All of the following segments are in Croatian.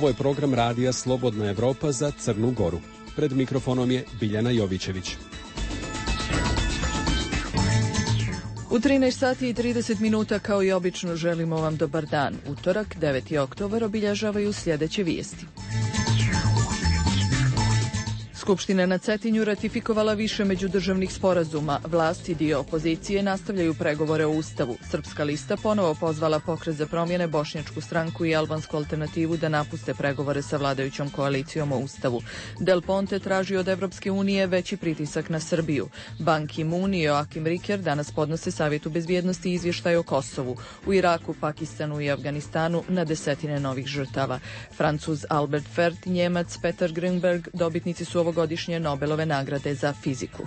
Ovo je program radija Slobodna Evropa za Crnu Goru. Pred mikrofonom je Biljana Jovićević. U 13 sati i 30 minuta kao i obično želimo vam dobar dan. Utorak, 9. oktobar, obilježavaju sljedeće vijesti. Skupština na Cetinju ratifikovala više međudržavnih sporazuma. Vlast i dio opozicije nastavljaju pregovore o Ustavu. Srpska lista ponovo pozvala Pokret za promjene, Bošnjačku stranku i Albansku alternativu da napuste pregovore sa vladajućom koalicijom o Ustavu. Del Ponte traži od Evropske unije veći pritisak na Srbiju. Ban Ki-moon i Joachim Ricker danas podnose Savjetu bezbjednosti izvještaj o Kosovu. U Iraku, Pakistanu i Afganistanu na desetine novih žrtava. Francuz Albert Fert i Njemac Peter Grünberg dobitnici su ovogodišnje Nobelove nagrade za fiziku.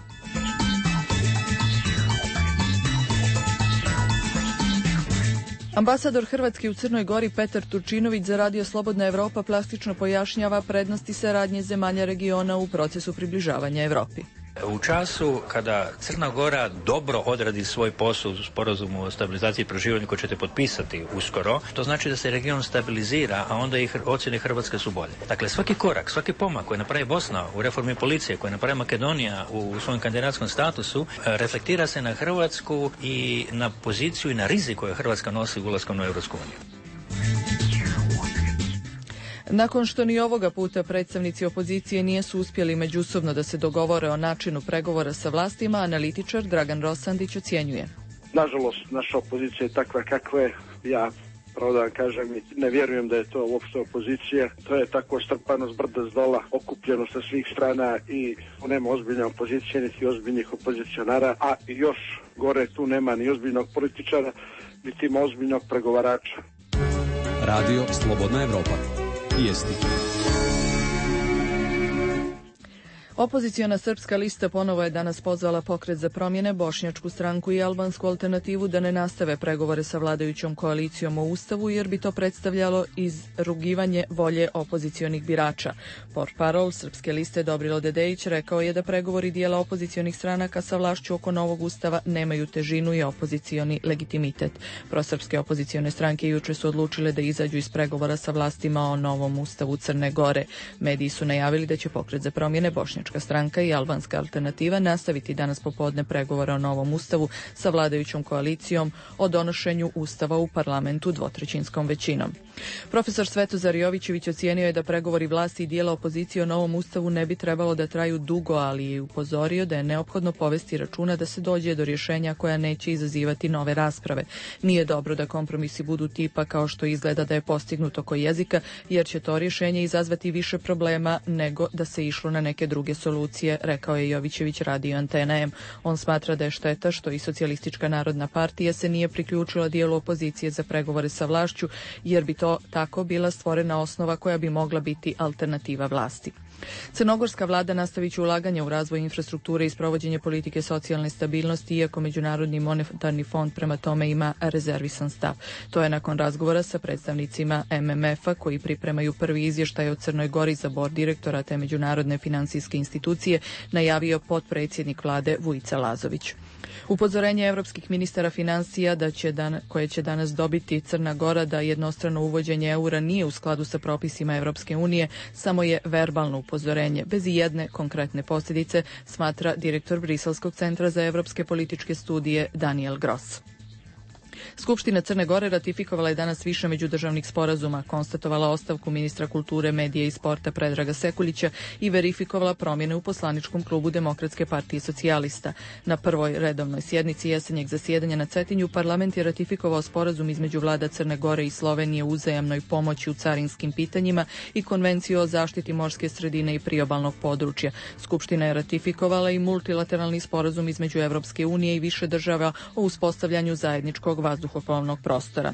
Ambasador Hrvatske u Crnoj Gori Petar Turčinović za Radio Slobodna Evropa plastično pojašnjava prednosti saradnje zemalja regiona u procesu približavanja Evropi. U času kada Crna Gora dobro odradi svoj posao u sporazumu o stabilizaciji i proširenju koji ćete potpisati uskoro, to znači da se region stabilizira, a onda i ocjene Hrvatske su bolje. Dakle, svaki korak, svaki pomak koji napravi Bosna u reformi policije, koji napravi Makedonija u svojom kandidatskom statusu, reflektira se na Hrvatsku i na poziciju i na rizik koju Hrvatska nosi ulaskom u Europsku uniju. Nakon što ni ovoga puta predstavnici opozicije nisu uspjeli međusobno da se dogovore o načinu pregovora sa vlastima, analitičar Dragan Rosandić ocjenjuje. Nažalost, naša opozicija je takva kakva je. Ja, pravo da vam kažem, ne vjerujem da je to uopšte opozicija. To je tako strpano s brda s dola, okupljeno sa svih strana i nema ozbiljne opozicije, niti ozbiljnih opozicionara, a još gore tu nema ni ozbiljnog političara, niti ima ozbiljnog pregovarača. Radio Slobodna Evropa. Vijesti. Opoziciona Srpska lista ponovo je danas pozvala Pokret za promjene, Bošnjačku stranku i Albansku alternativu da ne nastave pregovore sa vladajućom koalicijom o Ustavu jer bi to predstavljalo izrugivanje volje opozicionih birača. Portparol Srpske liste Dobrilo Dedejić rekao je da pregovori dijela opozicionih stranaka sa vlašću oko novog Ustava nemaju težinu i opozicioni legitimitet. Prosrpske opozicione stranke juče su odlučile da izađu iz pregovora sa vlastima o novom Ustavu Crne Gore. Mediji su najavili da će Pokret za promjene, Bošnjačka stranka i Albanska alternativa nastaviti danas popodne pregovore o novom Ustavu sa vladajućom koalicijom o donošenju Ustava u parlamentu dvotrećinskom većinom. Profesor Svetozar Jovićević ocijenio je da pregovori vlasti i dijela opozicije o novom Ustavu ne bi trebalo da traju dugo, ali je upozorio da je neophodno povesti računa da se dođe do rješenja koja neće izazivati nove rasprave. Nije dobro da kompromisi budu tipa kao što izgleda da je postignut oko jezika, jer će to rješenje izazvati više problema nego da se išlo na neke druge solucije, rekao je Jovićević Radio Antena M. On smatra da je šteta što i Socijalistička narodna partija se nije priključila dijelu opozicije za pregovore sa vlašću, jer bi to tako bila stvorena osnova koja bi mogla biti alternativa vlasti. Crnogorska vlada nastavit će ulaganje u razvoj infrastrukture i sprovođenje politike socijalne stabilnosti, iako Međunarodni monetarni fond prema tome ima rezervisan stav. To je nakon razgovora sa predstavnicima MMF-a koji pripremaju prvi izvještaj o Crnoj Gori za bord direktora te međunarodne financijske institucije najavio potpredsjednik vlade Vujica Lazović. Upozorenje evropskih ministara financija koje će danas dobiti Crna Gora da jednostrano uvođenje eura nije u skladu sa propisima Evropske unije samo je verbalno upozorenje, bez ijedne konkretne posljedice, smatra direktor Briselskog centra za evropske političke studije Daniel Gross. Skupština Crne Gore ratifikovala je danas više međudržavnih sporazuma, konstatovala ostavku ministra kulture, medije i sporta Predraga Sekuljića i verifikovala promjene u poslaničkom klubu Demokratske partije socijalista. Na prvoj redovnoj sjednici jesenjeg zasjedanja na Cetinju parlament je ratifikovao sporazum između vlada Crne Gore i Slovenije u uzajamnoj pomoći u carinskim pitanjima i konvenciju o zaštiti morske sredine i priobalnog područja. Skupština je ratifikovala i multilateralni sporazum između Evropske unije i više država o uspostavljanju zajedničkog vazduhoplovnog prostora.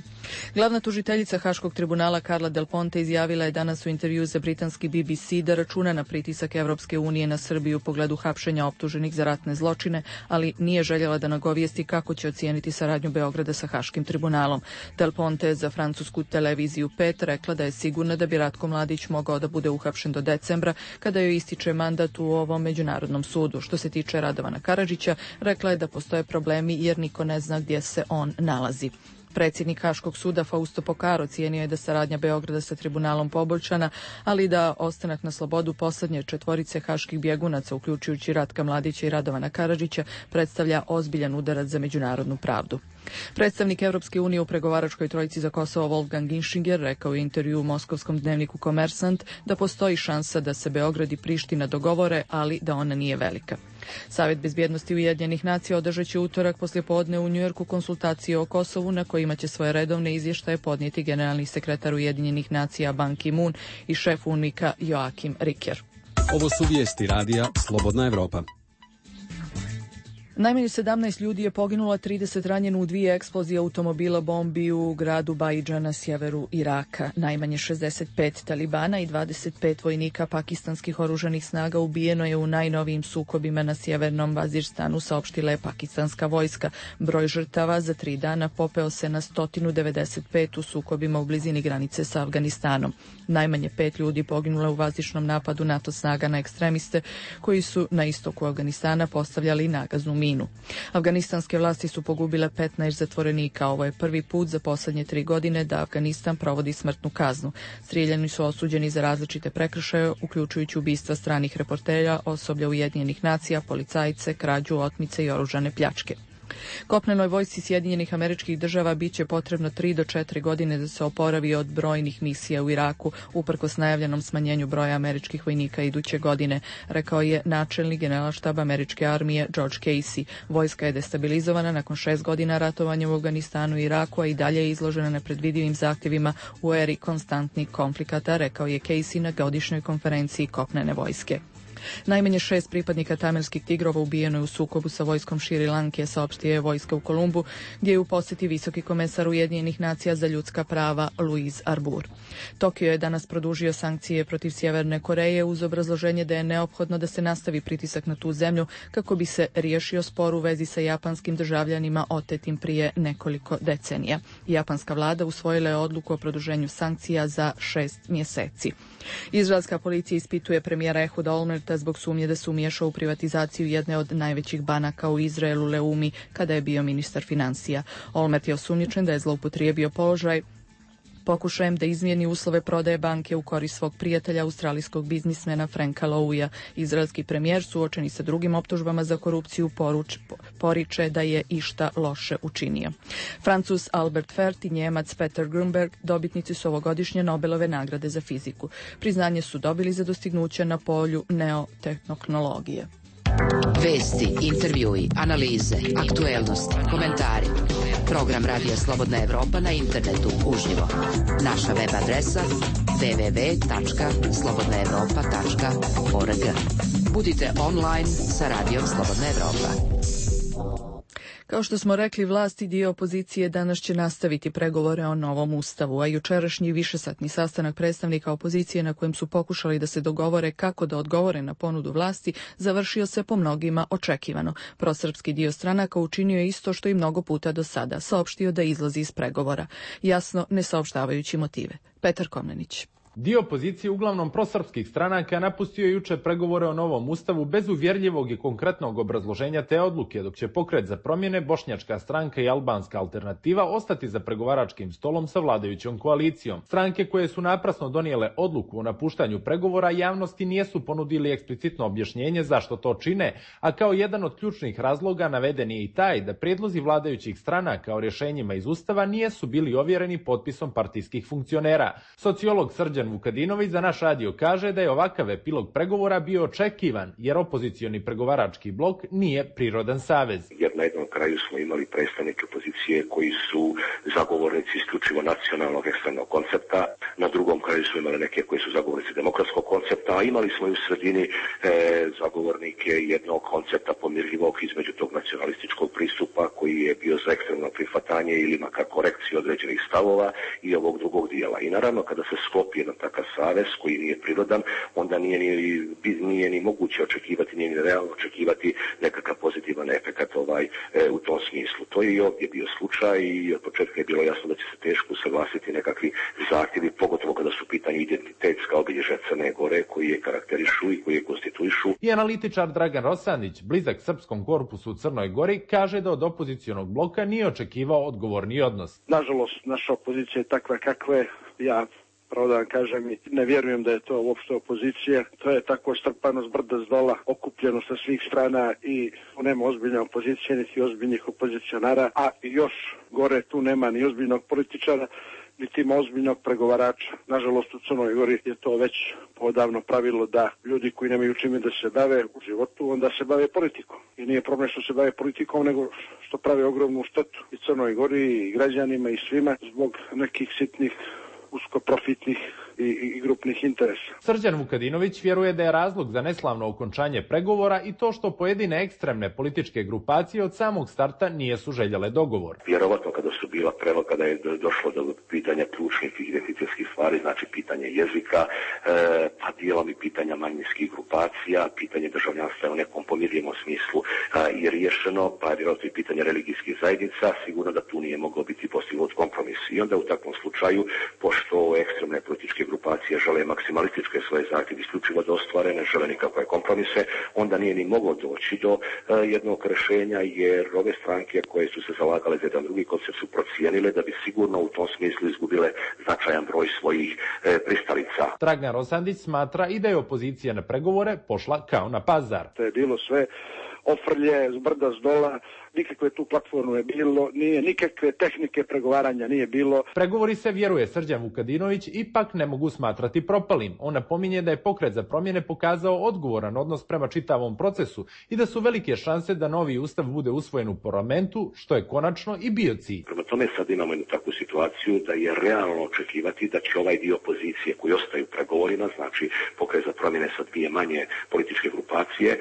Glavna tužiteljica Haškog tribunala Carla Del Ponte izjavila je danas u intervju za britanski BBC da računa na pritisak Evropske unije na Srbiju u pogledu hapšenja optuženih za ratne zločine, ali nije željela da nagovijesti kako će ocijeniti saradnju Beograda sa Haškim tribunalom. Del Ponte je za francusku televiziju 5 rekla da je sigurna da bi Ratko Mladić mogao da bude uhapšen do decembra, kada joj ističe mandat u ovom međunarodnom sudu. Što se tiče Radovana Karadžića, rekla je da postoje problemi jer niko ne zna gdje se on nalazi. Predsjednik Haškog suda Fausto Pokaro cijenio je da saradnja Beograda sa tribunalom poboljšana, ali da ostanak na slobodu posljednje četvorice haških bjegunaca, uključujući Ratka Mladića i Radovana Karadžića, predstavlja ozbiljan udarac za međunarodnu pravdu. Predstavnik Europske unije u pregovaračkoj trojici za Kosovo Wolfgang Ginschinger rekao u intervju u moskovskom dnevniku Kommersant da postoji šansa da se Beograd i Priština dogovore, ali da ona nije velika. Savjet bezbjednosti Ujedinjenih nacija održat će utorak poslijepodne u Njujorku konsultacije o Kosovu na kojima će svoje redovne izvještaje podnijeti generalni sekretar Ujedinjenih nacija Ban Ki-moon i šef UNMIK-a Joachim Ricker. Ovo su vijesti radija Slobodna Evropa. Najmanje 17 ljudi je poginulo, 30 ranjeno u 2 eksplozije automobila bombi u gradu Baidža na sjeveru Iraka. Najmanje 65 talibana i 25 vojnika pakistanskih oružanih snaga ubijeno je u najnovijim sukobima na sjevernom Vazirstanu, saopštila je pakistanska vojska. Broj žrtava za 3 dana popeo se na 195 u sukobima u blizini granice sa Afganistanom. Najmanje 5 ljudi poginulo u vazdušnom napadu NATO snaga na ekstremiste koji su na istoku Afganistana postavljali nagaznu minu. Afganistanske vlasti su pogubile 15 zatvorenika. Ovo je prvi put za posljednje 3 godine da Afganistan provodi smrtnu kaznu. Strijeljani su osuđeni za različite prekršaje, uključujući ubistva stranih reportera, osoblja Ujedinjenih nacija, policajce, krađu, otmice i oružane pljačke. Kopnenoj vojsci Sjedinjenih Američkih Država bit će potrebno 3 do 4 godine da se oporavi od brojnih misija u Iraku, uprkos najavljenom smanjenju broja američkih vojnika iduće godine, rekao je načelnik generalštaba američke armije George Casey. Vojska je destabilizovana nakon 6 godina ratovanja u Afganistanu i Iraku, a i dalje je izložena nepredvidivim zahtjevima u eri konstantnih konflikata, rekao je Casey na godišnjoj konferenciji kopnene vojske. Najmanje 6 pripadnika tamilskih tigrova ubijeno je u sukobu sa vojskom Šri Lanke, saopštio je vojska u Kolumbu, gdje je u posjeti visoki komesar Ujedinjenih nacija za ljudska prava Louise Arbour. Tokio je danas produžio sankcije protiv Sjeverne Koreje uz obrazloženje da je neophodno da se nastavi pritisak na tu zemlju kako bi se riješio spor u vezi sa japanskim državljanima otetim prije nekoliko decenija. Japanska vlada usvojila je odluku o produženju sankcija za 6 mjeseci. Izraelska policija ispituje premijera Ehuda Olmerta zbog sumnje da se umiješao u privatizaciju jedne od najvećih banaka u Izraelu, Leumi, kada je bio ministar financija. Olmert je osumnjičen da je zloupotrijebio položaj pokušajem da izmijeni uslove prodaje banke u korist svog prijatelja, australijskog biznismena Franka Louija. Izraelski premijer, suočeni sa drugim optužbama za korupciju, poriče da je išta loše učinio. Francuz Albert Fert i Njemac Peter Grunberg dobitnici su ovogodišnje Nobelove nagrade za fiziku. Priznanje su dobili za dostignuće na polju neotehnologije. Vesti, intervjui, analize, aktuelnosti, komentari. Program Radija Slobodna Evropa na internetu uživo. Naša web adresa www.slobodnaevropa.org. Budite online sa Radijom Slobodna Evropa. Kao što smo rekli, vlasti dio opozicije danas će nastaviti pregovore o novom ustavu, a jučerašnji višesatni sastanak predstavnika opozicije na kojem su pokušali da se dogovore kako da odgovore na ponudu vlasti završio se po mnogima očekivano. Prosrpski dio stranaka učinio je isto što i mnogo puta do sada, saopštio da izlazi iz pregovora, jasno ne saopštavajući motive. Petar Komnenić. Dio opozicije, uglavnom prosrpskih stranaka, napustio je juče pregovore o novom ustavu bez uvjerljivog i konkretnog obrazloženja te odluke, dok će Pokret za promjene, Bošnjačka stranka i Albanska alternativa ostati za pregovaračkim stolom sa vladajućom koalicijom. Stranke koje su naprasno donijele odluku o napuštanju pregovora javnosti nijesu ponudili eksplicitno objašnjenje zašto to čine, a kao jedan od ključnih razloga naveden je i taj da prijedlozi vladajućih stranaka o rješenjima iz ustava nijesu bili ovjereni potpisom partijskih funkcionera. Sociolog Srđan Vukadinović za naš radio kaže da je ovakav epilog pregovora bio očekivan, jer opozicioni pregovarački blok nije prirodan savez. Jer na jednom kraju smo imali predstavnike opozicije koji su zagovornici isključivo nacionalnog ekstremnog koncepta, na drugom kraju smo imali neke koji su zagovornici demokratskog koncepta, a imali smo i u sredini zagovornike jednog koncepta pomirljivog između tog nacionalističkog pristupa koji je bio za ekstremno prihvatanje ili makar korekciju određenih stavova i ovog drugog dijela. I naravno kada se sklopi jedan takav savez koji nije prirodan, onda nije ni moguće očekivati, nije ni realno očekivati nekakav pozitivan efekat u tom smislu. To je i ovdje bio slučaj i od početka je bilo jasno da će se teško usaglasiti nekakvi zahtjevi, pogotovo kada su u pitanju identitetska obilježja Crne Gore koji je karakterišu i koji je konstituišu. I analitičar Dragan Rosandić, blizak srpskom korpusu u Crnoj Gori, kaže da od opozicionog bloka nije očekivao odgovorni odnos. Nažalost, naša opozicija je takva kakva je. Ja pravo da vam kažem, ne vjerujem da je to uopšte opozicija. To je tako strpano s brda s dola, okupljeno sa svih strana i nema ozbiljne opozicije, niti ozbiljnih opozicionara, a još gore tu nema ni ozbiljnog političara, niti ima ozbiljnog pregovarača. Nažalost, u Crnoj Gori je to već odavno pravilo da ljudi koji nemaju čime da se bave u životu, onda se bave politikom. I nije problem što se bave politikom, nego što prave ogromnu štetu i Crnoj Gori, i građanima, i svima, zbog nekih sitnih uskoprofitnih i grupnih interesa. Srđan Vukadinović vjeruje da je razlog za neslavno okončanje pregovora i to što pojedine ekstremne političke grupacije od samog starta nijesu željele dogovor. Vjerovatno kada je došlo do pitanja ključnih identitetskih stvari, znači pitanje jezika, pa dijelom i pitanja manjinskih grupacija, pitanje državljanstva u nekom pomirljivom smislu je riješeno, pa vjerojatno i pitanje religijskih zajednica, sigurno da tu nije moglo biti postignut kompromis. I onda u takvom slučaju, pošto ekstremne političke grupacije žele maksimalističke svoje zahtjeve isključivo da ostvare, ne žele nikakve kompromise, onda nije ni moglo doći do jednog rješenja, jer ove stranke koje su se zalagale za jedan drugi koncept su procijenile da bi sigurno u tom smislu izgubile značajan broj svojih pristalica. Dragan Rosandić smatra i da je opozicija na pregovore pošla kao na pazar. To je bilo sve ofrlje, s brda, s dola, nikakve tu platforme je bilo, nije nikakve tehnike pregovaranja nije bilo. Pregovori se, vjeruje Srđan Vukadinović, ipak ne mogu smatrati propalim. On napominje da je Pokret za promjene pokazao odgovoran odnos prema čitavom procesu i da su velike šanse da novi ustav bude usvojen u parlamentu, što je konačno i bio cilj. Prema tome sad imamo jednu takvu situaciju da je realno očekivati da će ovaj dio opozicije koji ostaju pregovorima, znači Pokret za promjene sa dvije manje političke grupacije,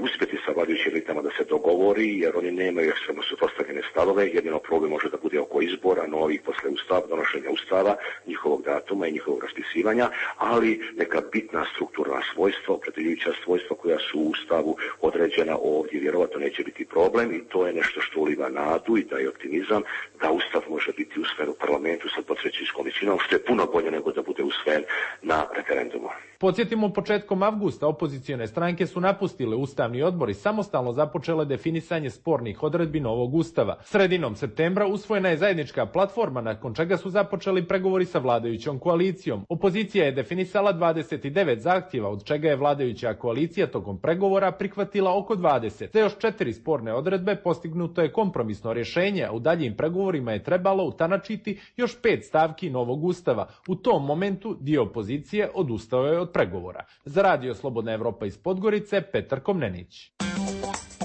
uspjeti sa vladajućim elitama da se dogovori, jer oni nemaju ekstremno suprotstavljene stavove. Jedino problem može da bude oko izbora novih posle donošenja ustava, njihovog datuma i njihovog raspisivanja, ali neka bitna strukturna svojstva, opredjeljujuća svojstva koja su u ustavu određena ovdje, vjerovatno neće biti problem, i to je nešto što uliva nadu i daje optimizam da ustav može biti usvojen u parlamentu sa dvotrećinskom većinom, što je puno bolje nego da bude usvojen na referendumu. Podsjetimo, početkom avgusta opozicione stranke su napustile Ustavni odbor i samostalno započele definisanje spornih odredbi novog ustava. Sredinom septembra usvojena je zajednička platforma, nakon čega su započeli pregovori sa vladajućom koalicijom. Opozicija je definisala 29 zahtjeva, od čega je vladajuća koalicija tokom pregovora prihvatila oko 20. Za još 4 sporne odredbe postignuto je kompromisno rješenje, a u daljim pregovorima je trebalo utanačiti još 5 stavki novog ustava. U tom momentu dio opozicije odustao je od pregovora. Za Radio Slobodna Evropa iz Podgorice, Petar Komnenić.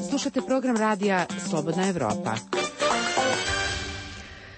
Slušate program radija Slobodna Evropa.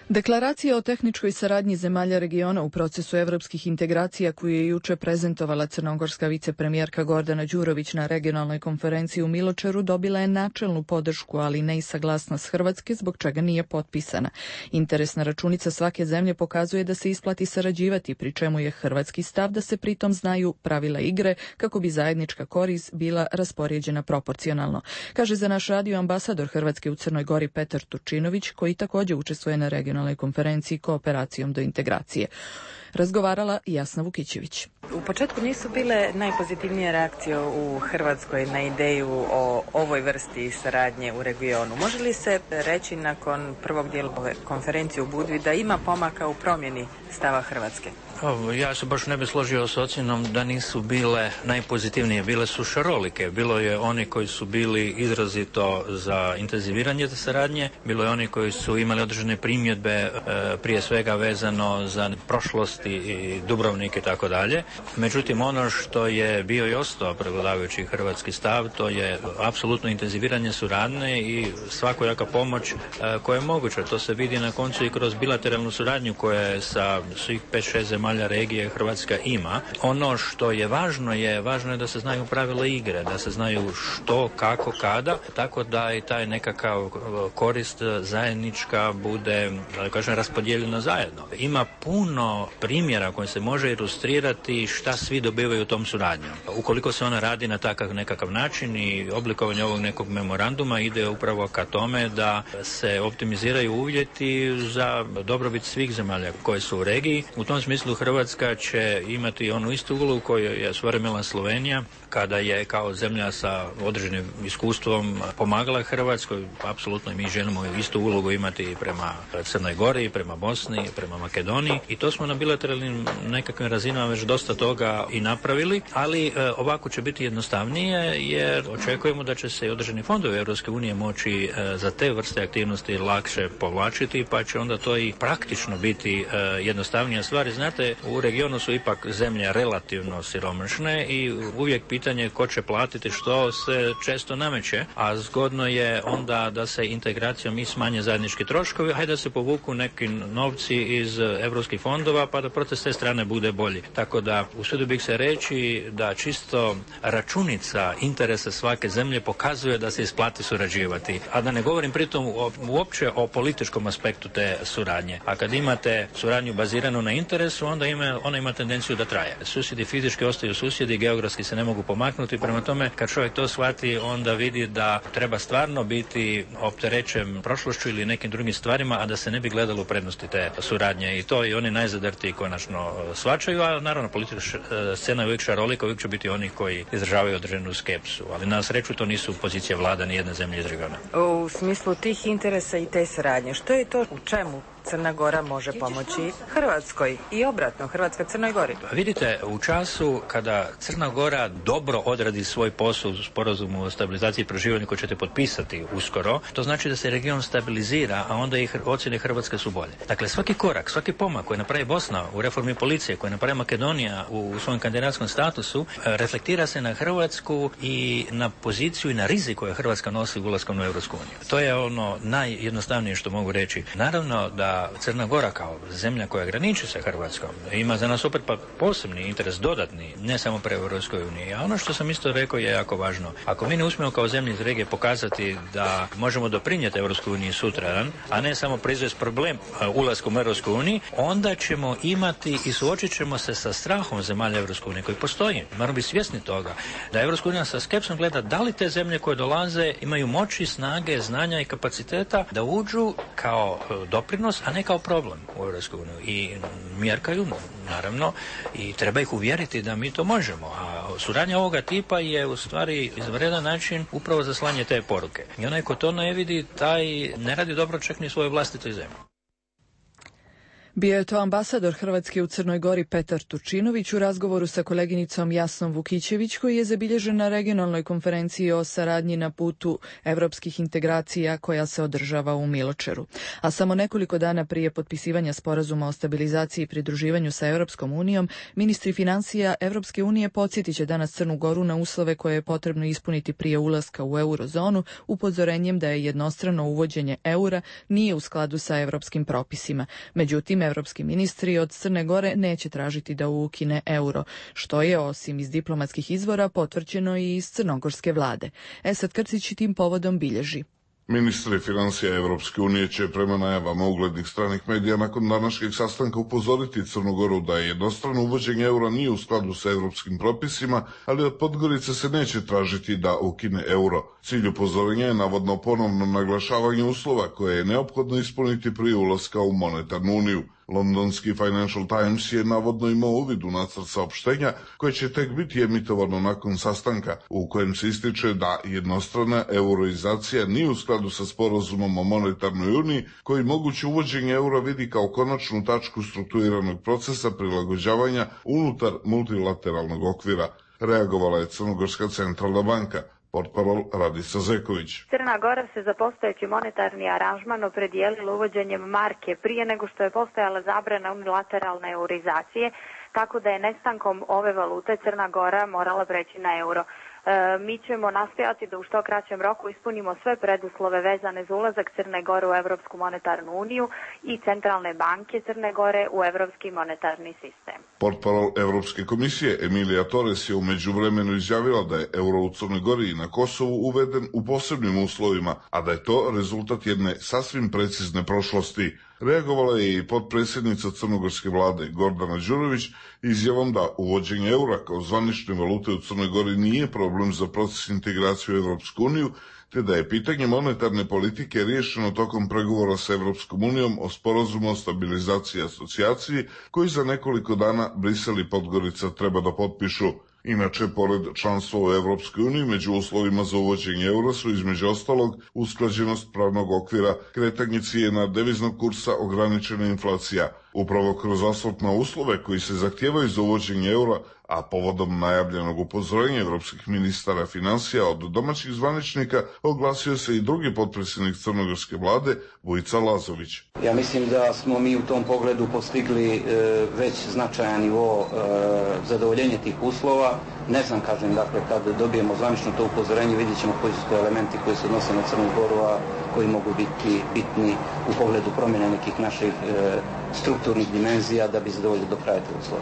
Deklaracija o tehničkoj saradnji zemalja regiona u procesu evropskih integracija koju je juče prezentovala crnogorska vicepremijerka Gordana Đurović na regionalnoj konferenciji u Miločeru dobila je načelnu podršku, ali ne i saglasnost Hrvatske, zbog čega nije potpisana. Interesna računica svake zemlje pokazuje da se isplati sarađivati, pri čemu je hrvatski stav da se pritom znaju pravila igre kako bi zajednička korist bila raspoređena proporcionalno. Kaže za naš radio ambasador Hrvatske u Crnoj Gori Petar Turčinović, koji također učestvuje na regionalnoj konferenciji Kooperacijom do integracije. Razgovarala Jasna Vukićević. U početku nisu bile najpozitivnije reakcije u Hrvatskoj na ideju o ovoj vrsti saradnje u regionu. Može li se reći nakon prvog dijela ove konferencije u Budvi da ima pomaka u promjeni stava Hrvatske? Ja se baš ne bi složio s ocjenom da nisu bile najpozitivnije. Bile su šarolike. Bilo je oni koji su bili izrazito za intenziviranje te saradnje. Bilo je oni koji su imali određene primjedbe, prije svega vezano za prošlost i Dubrovnik i tako dalje. Međutim, ono što je bio i ostao prevladavajući hrvatski stav, to je apsolutno intenziviranje suradnje i svakojaka pomoć koja je moguća. To se vidi na koncu i kroz bilateralnu suradnju koja je sa svih 5-6 zemalja zemalja regije Hrvatska ima. Ono što je važno je da se znaju pravila igre, da se znaju što, kako, kada, tako da i taj nekakav korist zajednička bude, da kažem, raspodijeljena zajedno. Ima puno primjera koji se može ilustrirati šta svi dobivaju tom suradnjom. Ukoliko se ona radi na takav nekakav način i oblikovanje ovog nekog memoranduma ide upravo ka tome da se optimiziraju uvjeti za dobrobit svih zemalja koje su u regiji. U tom smislu Hrvatska će imati onu istu ulogu koju je svojevremeno Slovenija, kada je kao zemlja sa određenim iskustvom pomagala Hrvatskoj. Apsolutno mi želimo istu ulogu imati prema Crnoj Gori, prema Bosni, prema Makedoniji i to smo na bilateralnim nekakvim razinama već dosta toga i napravili, ali ovako će biti jednostavnije jer očekujemo da će se i određeni fondovi Europske unije moći za te vrste aktivnosti lakše povlačiti, pa će onda to i praktično biti jednostavnija stvar. Znate, u regionu su ipak zemlje relativno siromašne i uvijek pitanje ko će platiti što se često nameće, a zgodno je onda da se integracijom i smanje zajednički troškovi, hajde da se povuku neki novci iz europskih fondova pa da proces te strane bude bolji. Tako da usudio bih se reći da čisto računica interesa svake zemlje pokazuje da se isplati surađivati, a da ne govorim pritom uopće o političkom aspektu te suradnje. A kad imate suradnju baziranu na interesu, onda ona ima tendenciju da traje. Susjedi fizički ostaju susjedi, geografski se ne mogu pomaknuti, prema tome kad čovjek to shvati, onda vidi da treba stvarno biti opterećen prošlošću ili nekim drugim stvarima, a da se ne bi gledalo u prednosti te suradnje i to i oni najzadrtiji konačno shvaćaju, a naravno politička scena je uvijek šarolika, uvijek će biti oni koji izražavaju određenu skepsu, ali na sreću to nisu pozicije vlada ni jedne zemlje iz regiona. U smislu tih interesa i te suradnje, što je to u čemu Crna Gora može pomoći Hrvatskoj i obratno, Hrvatska Crnoj Gori? Vidite, u času kada Crna Gora dobro odradi svoj posao u sporazumu o stabilizaciji i proživanju koji ćete potpisati uskoro, to znači da se region stabilizira, a onda i ocjene Hrvatske su bolje. Dakle, svaki korak, svaki pomak koji napravi Bosna u reformi policije, koji napravi Makedonija u svojem kandidatskom statusu, reflektira se na Hrvatsku i na poziciju i na rizik koje Hrvatska nosi ulaskom u Europsku uniju. To je ono najjednostavnije što mogu reći. Naravno da Crna Gora kao zemlja koja graniči sa Hrvatskom ima za nas opet pa posebni interes dodatni, ne samo pre Europskoj uniji. A ono što sam isto rekao je jako važno. Ako mi ne uspijemo kao zemlje iz regije pokazati da možemo doprinijeti Europskoj uniji sutradan, a ne samo proizvesti problem ulaskom u Europsku uniju, onda ćemo imati i suočit ćemo se sa strahom zemalja Europske unije koji postoji. Moramo biti svjesni toga da Europska unija sa skepsom gleda da li te zemlje koje dolaze imaju moći, snage, znanja i kapaciteta da uđu kao doprinos, a ne kao problem u Europskoj uniji. I mjerkaju, naravno, i treba ih uvjeriti da mi to možemo. A suradnja ovoga tipa je u stvari izvanredan način upravo za slanje te poruke. I onaj ko to ne vidi, taj ne radi dobro čak ni svojoj vlastitoj zemlji. Bio je to ambasador Hrvatske u Crnoj Gori Petar Turčinović u razgovoru sa koleginicom Jasnom Vukićević, koji je zabilježen na regionalnoj konferenciji o saradnji na putu evropskih integracija koja se održava u Miločeru. A samo nekoliko dana prije potpisivanja sporazuma o stabilizaciji i pridruživanju sa Europskom unijom, ministri financija Europske unije podsjetit će danas Crnu Goru na uslove koje je potrebno ispuniti prije ulaska u eurozonu, upozorenjem da je jednostrano uvođenje eura nije u skladu sa europskim propisima. Međutim, evropski ministri od Crne Gore neće tražiti da ukine euro, što je, osim iz diplomatskih izvora, potvrđeno i iz crnogorske vlade. Esad Krcić tim povodom bilježi. Ministri financija Evropske unije će prema najavama uglednih stranih medija nakon današnjeg sastanka upozoriti Crnu Goru da je jednostrano uvođenje eura nije u skladu sa evropskim propisima, ali od Podgorice se neće tražiti da ukine euro. Cilj upozorenja je navodno ponovno naglašavanje uslova koje je neophodno ispuniti prije ulaska u monetarnu uniju. Londonski Financial Times je navodno imao uvid u nacrt saopštenja koje će tek biti emitovano nakon sastanka, u kojem se ističe da jednostrana euroizacija nije u skladu sa sporazumom o monetarnoj uniji, koji moguće uvođenje eura vidi kao konačnu tačku strukturiranog procesa prilagođavanja unutar multilateralnog okvira. Reagovala je Crnogorska centralna banka. Portparol Radica Zeković. Crna Gora se za postojeći monetarni aranžman opredijelila uvođenjem marke prije nego što je postojala zabrana unilateralne eurizacije, tako da je nestankom ove valute Crna Gora morala preći na euro. Mi ćemo nastojati da u što kraćem roku ispunimo sve preduslove vezane za ulazak Crne Gore u Evropsku monetarnu uniju i Centralne banke Crne Gore u Evropski monetarni sistem. Portparol Evropske komisije Emilija Torres je u međuvremenu izjavila da je euro u Crnoj Gori i na Kosovu uveden u posebnim uslovima, a da je to rezultat jedne sasvim precizne prošlosti. Reagovala je i potpredsjednica crnogorske vlade Gordana Đurović izjavom da uvođenje eura kao zvanične valute u Crnoj Gori nije problem za proces integracije u Evropsku uniju, te da je pitanje monetarne politike riješeno tokom pregovora sa Evropskom unijom o sporazumu o stabilizaciji i asocijaciji, koji za nekoliko dana Brisel i Podgorica treba da potpišu. Inače, pored članstva u Evropskoj uniji, među uslovima za uvođenje eura su između ostalog usklađenost pravnog okvira, kretanje cijena deviznog kursa, ograničena inflacija. Upravo kroz osvrt na uslove koji se zahtijevaju za uvođenje eura, a povodom najavljenog upozorenja evropskih ministara financija od domaćih zvaničnika, oglasio se i drugi potpredsjednik crnogorske vlade, Vujica Lazović. Ja mislim da smo mi u tom pogledu postigli već značajan nivo zadovoljenja tih uslova. Ne znam, kažem, dakle, kad dobijemo zvanično to upozorenje, vidjet ćemo koji su to elementi koji se odnose na Crnu Goru, a koji mogu biti bitni u pogledu promjene nekih naših strukturnih dimenzija da bi zadovoljili do kraja te uslove.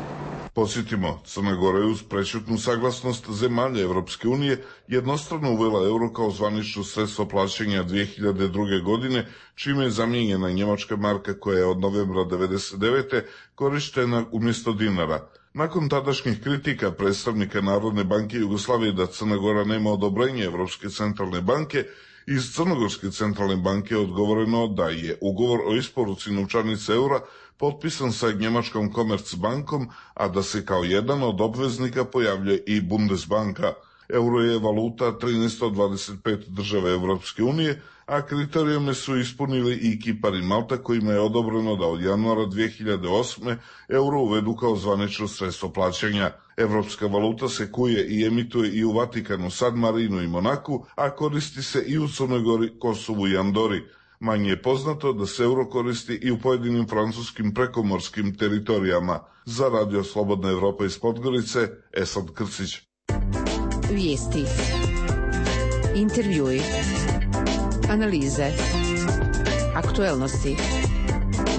Podsjetimo, Crna Gora je uz prećutnu saglasnost zemalja Evropske unije jednostrano uvela euro kao zvanično sredstvo plaćanja 2002. godine, čime je zamijenjena njemačka marka koja je od novembra 1999. korištena umjesto dinara. Nakon tadašnjih kritika predstavnika Narodne banke Jugoslavije da Crna Gora nema odobrenje Evropske centralne banke, iz Crnogorske centralne banke je odgovoreno da je ugovor o isporuci novčanica eura potpisan sa njemačkom Commerzbankom, a da se kao jedan od obveznika pojavlja i Bundesbanka. Euro je valuta 13 od 25 država Evropske unije, a kriterijume su ispunili i Kipar i Malta, kojima je odobreno da od januara 2008. euro uvedu kao zvanično sredstvo plaćanja. Evropska valuta se kuje i emituje i u Vatikanu, San Marinu i Monaku, a koristi se i u Crnoj Gori, Kosovu i Andori. Manje je poznato da se euro koristi i u pojedinim francuskim prekomorskim teritorijama. Za Radio Slobodna Evropa iz Podgorice, Esad Krcić. Vijesti, intervjui, analize, aktuelnosti,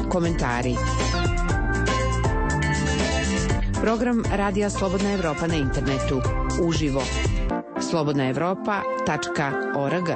komentari. Program Radija Slobodna Evropa na internetu, uživo. slobodnaevropa.org.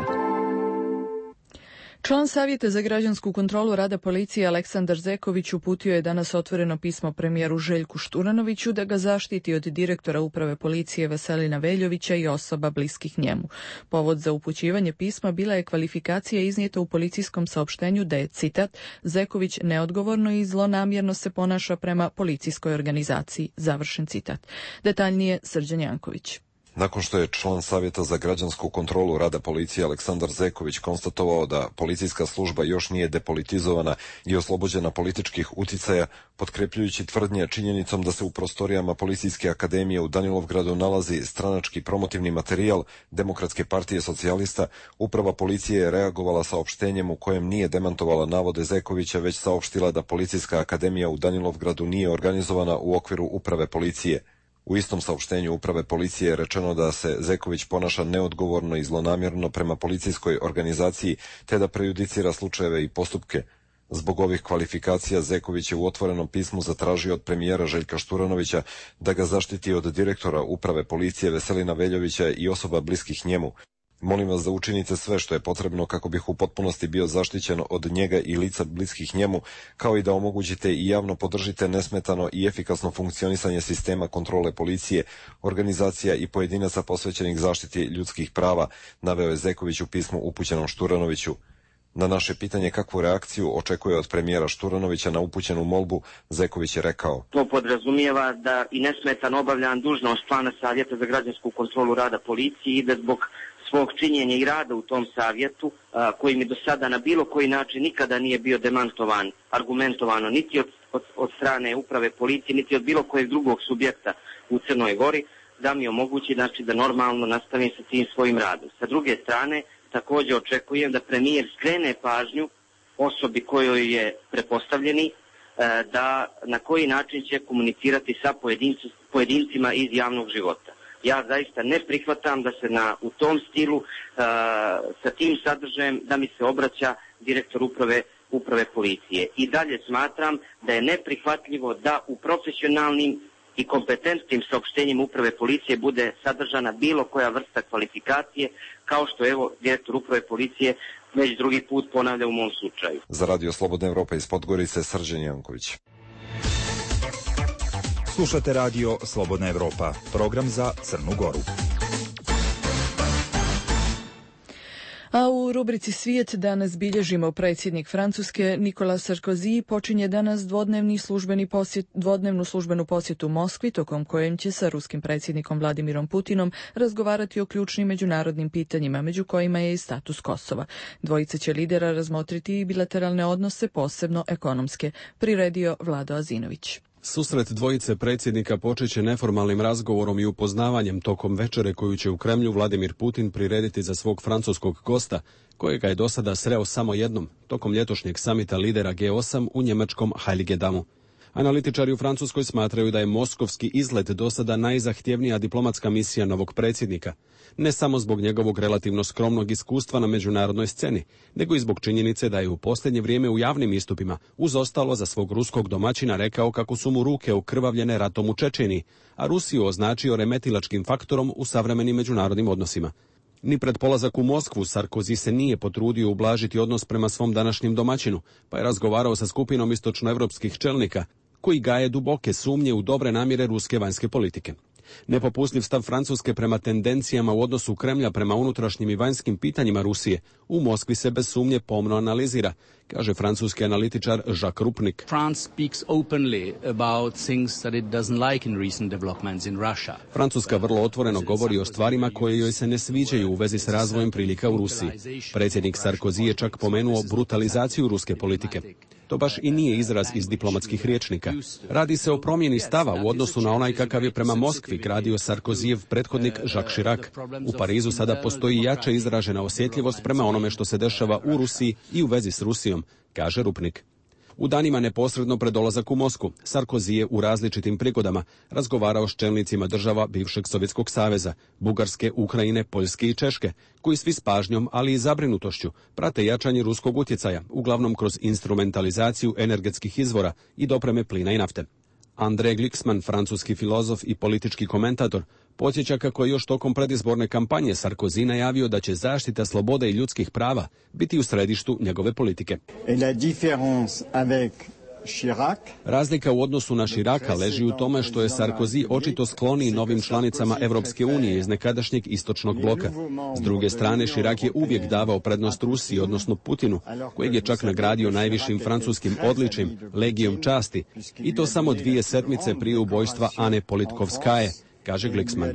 Član Savjeta za građansku kontrolu rada policije Aleksandar Zeković uputio je danas otvoreno pismo premijeru Željku Šturanoviću da ga zaštiti od direktora uprave policije Veselina Veljovića i osoba bliskih njemu. Povod za upućivanje pisma bila je kvalifikacija iznijeta u policijskom saopštenju da je, citat, Zeković neodgovorno i zlonamjerno se ponaša prema policijskoj organizaciji, završen citat. Detaljnije Srđan Janković. Nakon što je član Savjeta za građansku kontrolu rada policije Aleksandar Zeković konstatovao da policijska služba još nije depolitizovana i oslobođena političkih uticaja, potkrepljujući tvrdnje činjenicom da se u prostorijama Policijske akademije u Danilovgradu nalazi stranački promotivni materijal Demokratske partije socijalista, uprava policije je reagovala saopštenjem u kojem nije demantovala navode Zekovića, već saopštila da Policijska akademija u Danilovgradu nije organizovana u okviru uprave policije. U istom saopštenju uprave policije je rečeno da se Zeković ponaša neodgovorno i zlonamjerno prema policijskoj organizaciji, te da prejudicira slučajeve i postupke. Zbog ovih kvalifikacija Zeković je u otvorenom pismu zatražio od premijera Željka Šturanovića da ga zaštiti od direktora uprave policije Veselina Veljovića i osoba bliskih njemu. Molim vas da učinite sve što je potrebno kako bih u potpunosti bio zaštićen od njega i lica bliskih njemu, kao i da omogućite i javno podržite nesmetano i efikasno funkcionisanje sistema kontrole policije, organizacija i pojedinaca posvećenih zaštiti ljudskih prava, naveo je Zeković u pismu upućenom Šturanoviću. Na naše pitanje kakvu reakciju očekuje od premijera Šturanovića na upućenu molbu, Zeković je rekao: To podrazumijeva da i nesmetano obavljam dužnost člana Savjeta za građansku kontrolu rada policije i da zbog svog činjenja i rada u tom savjetu, koji mi do sada na bilo koji način nikada nije bio demantovan, argumentovano, niti od strane uprave policije, niti od bilo kojeg drugog subjekta u Crnoj Gori, da mi omogući da normalno nastavim sa tim svojim radom. Sa druge strane, također očekujem da premijer skrene pažnju osobi kojoj je prepostavljeni, da na koji način će komunicirati sa pojedincima iz javnog života. Ja zaista ne prihvatam da se u tom stilu sa tim sadržajem da mi se obraća direktor uprave policije. I dalje smatram da je neprihvatljivo da u profesionalnim i kompetentnim saopštenjima uprave policije bude sadržana bilo koja vrsta kvalifikacije, kao što evo direktor uprave policije već drugi put ponavlja u mom slučaju. Za Radio Slobodna Evropa iz Podgorice, Srđan Janković. Slušate Radio Slobodna Evropa, program za Crnu Goru. A u rubrici Svijet danas bilježimo predsjednik Francuske Nicolas Sarkozy počinje danas dvodnevnu službenu posjetu Moskvi, tokom kojem će sa ruskim predsjednikom Vladimirom Putinom razgovarati o ključnim međunarodnim pitanjima, među kojima je i status Kosova. Dvojica će lidera razmotriti i bilateralne odnose, posebno ekonomske, priredio Vlado Azinović. Susret dvojice predsjednika počeće neformalnim razgovorom i upoznavanjem tokom večere koju će u Kremlju Vladimir Putin prirediti za svog francuskog gosta, kojega je do sada sreo samo jednom, tokom ljetosnjeg samita lidera G8 u njemačkom Heiligendamu. Analitičari u Francuskoj smatraju da je moskovski izlet do sada najzahtjevnija diplomatska misija novog predsjednika, ne samo zbog njegovog relativno skromnog iskustva na međunarodnoj sceni, nego i zbog činjenice da je u posljednje vrijeme u javnim istupima uz ostalo za svog ruskog domaćina rekao kako su mu ruke okrvavljene ratom u Čečeniji, a Rusiju označio remetilačkim faktorom u savremenim međunarodnim odnosima. Ni pred polazak u Moskvu Sarkozy se nije potrudio ublažiti odnos prema svom današnjem domaćinu, pa je razgovarao sa skupinom istočnoevropskih čelnika, koji gaje duboke sumnje u dobre namjere ruske vanjske politike. Nepopustljiv stav Francuske prema tendencijama u odnosu Kremlja prema unutrašnjim i vanjskim pitanjima Rusije u Moskvi se bez sumnje pomno analizira, kaže francuski analitičar Jacques Rupnik. Francuska vrlo otvoreno govori o stvarima koje joj se ne sviđaju u vezi s razvojem prilika u Rusiji. Predsjednik Sarkozy je čak pomenuo brutalizaciju ruske politike. To baš i nije izraz iz diplomatskih rječnika. Radi se o promjeni stava u odnosu na onaj kakav je prema Moskvi gradio Sarkozyjev prethodnik Jacques Chirac. U Parizu sada postoji jače izražena osjetljivost prema onome što se dešava u Rusiji i u vezi s Rusijom, kaže Rupnik. U danima neposredno pred dolazak u Moskvu, Sarkozy je u različitim prigodama razgovarao s čelnicima država bivšeg Sovjetskog saveza, Bugarske, Ukrajine, Poljske i Češke, koji svi s pažnjom, ali i zabrinutošću prate jačanje ruskog utjecaja, uglavnom kroz instrumentalizaciju energetskih izvora i dopreme plina i nafte. André Glixman, francuski filozof i politički komentator, podsjeća kako je još tokom predizborne kampanje Sarkozy najavio da će zaštita slobode i ljudskih prava biti u središtu njegove politike. Razlika u odnosu na Chiraca leži u tome što je Sarkozy očito skloniji novim članicama Europske unije iz nekadašnjeg istočnog bloka. S druge strane, Chirac je uvijek davao prednost Rusiji, odnosno Putinu, kojeg je čak nagradio najvišim francuskim odličjem, Legijom časti, i to samo 2 sedmice prije ubojstva Ane Politkovskaje, kaže Glixman.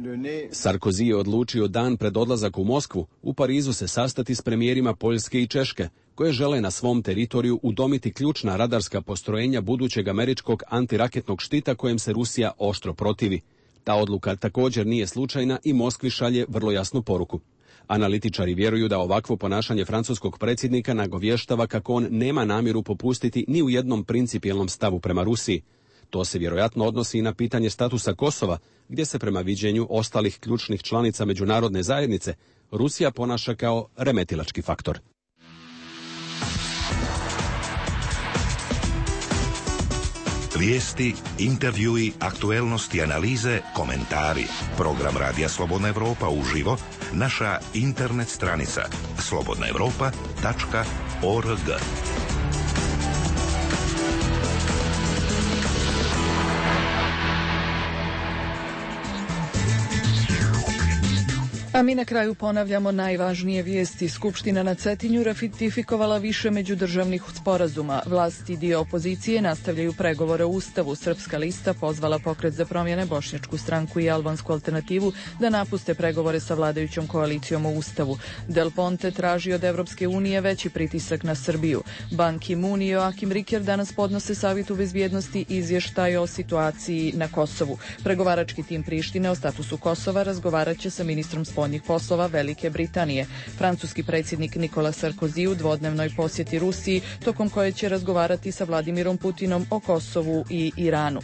Sarkozy je odlučio dan pred odlazak u Moskvu u Parizu se sastati s premijerima Poljske i Češke, koje žele na svom teritoriju udomiti ključna radarska postrojenja budućeg američkog antiraketnog štita kojem se Rusija oštro protivi. Ta odluka također nije slučajna i Moskvi šalje vrlo jasnu poruku. Analitičari vjeruju da ovakvo ponašanje francuskog predsjednika nagovještava kako on nema namjeru popustiti ni u jednom principijelnom stavu prema Rusiji. To se vjerojatno odnosi i na pitanje statusa Kosova, gdje se prema viđenju ostalih ključnih članica međunarodne zajednice Rusija ponaša kao remetilački faktor. Vijesti, intervjui, aktuelnosti, analize, komentari. Program Radija Slobodna Evropa uživo, naša internet stranica slobodnaevropa.org. A mi na kraju ponavljamo najvažnije vijesti. Skupština na Cetinju ratifikovala više međudržavnih sporazuma. Vlast i dio opozicije nastavljaju pregovore o Ustavu. Srpska lista pozvala Pokret za promjene, Bošnjačku stranku i Albansku alternativu da napuste pregovore sa vladajućom koalicijom o Ustavu. Del Ponte traži od Evropske unije veći pritisak na Srbiju. Ban Ki-moon i Joachim Ricker danas podnose Savjetu bezbjednosti izvještaj o situaciji na Kosovu. Pregovarački tim Prištine o statusu Kosova razgovarat će sa ministrom spoljnih spoljnih poslova Velike Britanije. Francuski predsjednik Nicolas Sarkozy u dvodnevnoj posjeti Rusiji, tokom koje će razgovarati sa Vladimirom Putinom o Kosovu i Iranu.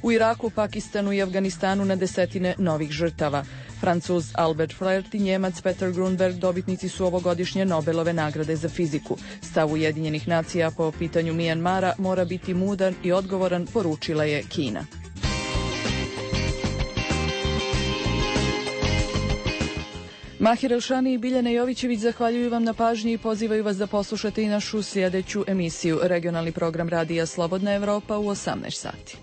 U Iraku, Pakistanu i Afganistanu na desetine novih žrtava. Francuz Albert Flirt i Njemac Peter Grunberg dobitnici su ovogodišnje Nobelove nagrade za fiziku. Stav Ujedinjenih nacija po pitanju Mijanmara mora biti mudar i odgovoran, poručila je Kina. Mahir Elšani i Biljana Jovićević zahvaljuju vam na pažnji i pozivaju vas da poslušate i našu sljedeću emisiju. Regionalni program Radija Slobodna Evropa u 18 sati.